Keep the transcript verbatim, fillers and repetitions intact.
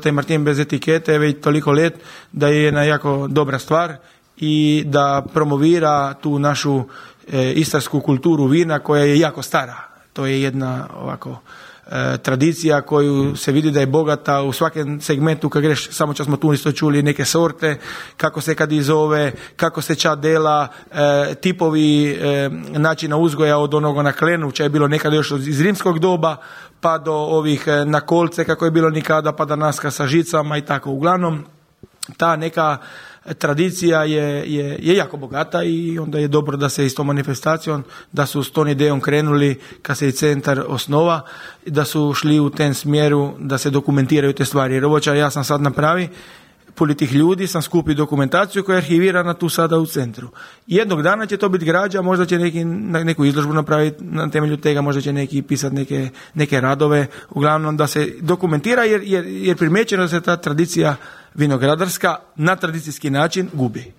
taj Martin bez etikete već toliko let da je jedna jako dobra stvar i da promovira tu našu e, istarsku kulturu vina koja je jako stara. To je jedna ovako e, tradicija koju se vidi da je bogata u svakom segmentu. Kad greš, samo čas smo tu isto čuli neke sorte, kako se kad izove, kako se ča dela, e, tipovi e, načina uzgoja od onoga na klenu, če je bilo nekada još iz rimskog doba, pa do ovih e, na kolce kako je bilo nikada, pa danaska sa žicama i tako. Uglavnom, ta neka tradicija je, je, je jako bogata i onda je dobro da se i s tom manifestacijom, da su s tom idejom krenuli kad se i centar osnova, da su šli u tem smjeru da se dokumentiraju te stvari. Jer ovo ja sam sad napravi, puli tih ljudi sam skupi dokumentaciju koja je arhivirana tu sada u centru. Jednog dana će to biti građa, možda će neki, neku izložbu napraviti na temelju tega, možda će neki pisati neke, neke radove, uglavnom da se dokumentira jer, jer, jer primjećeno da se ta tradicija vinogradarska na tradicijski način gubi.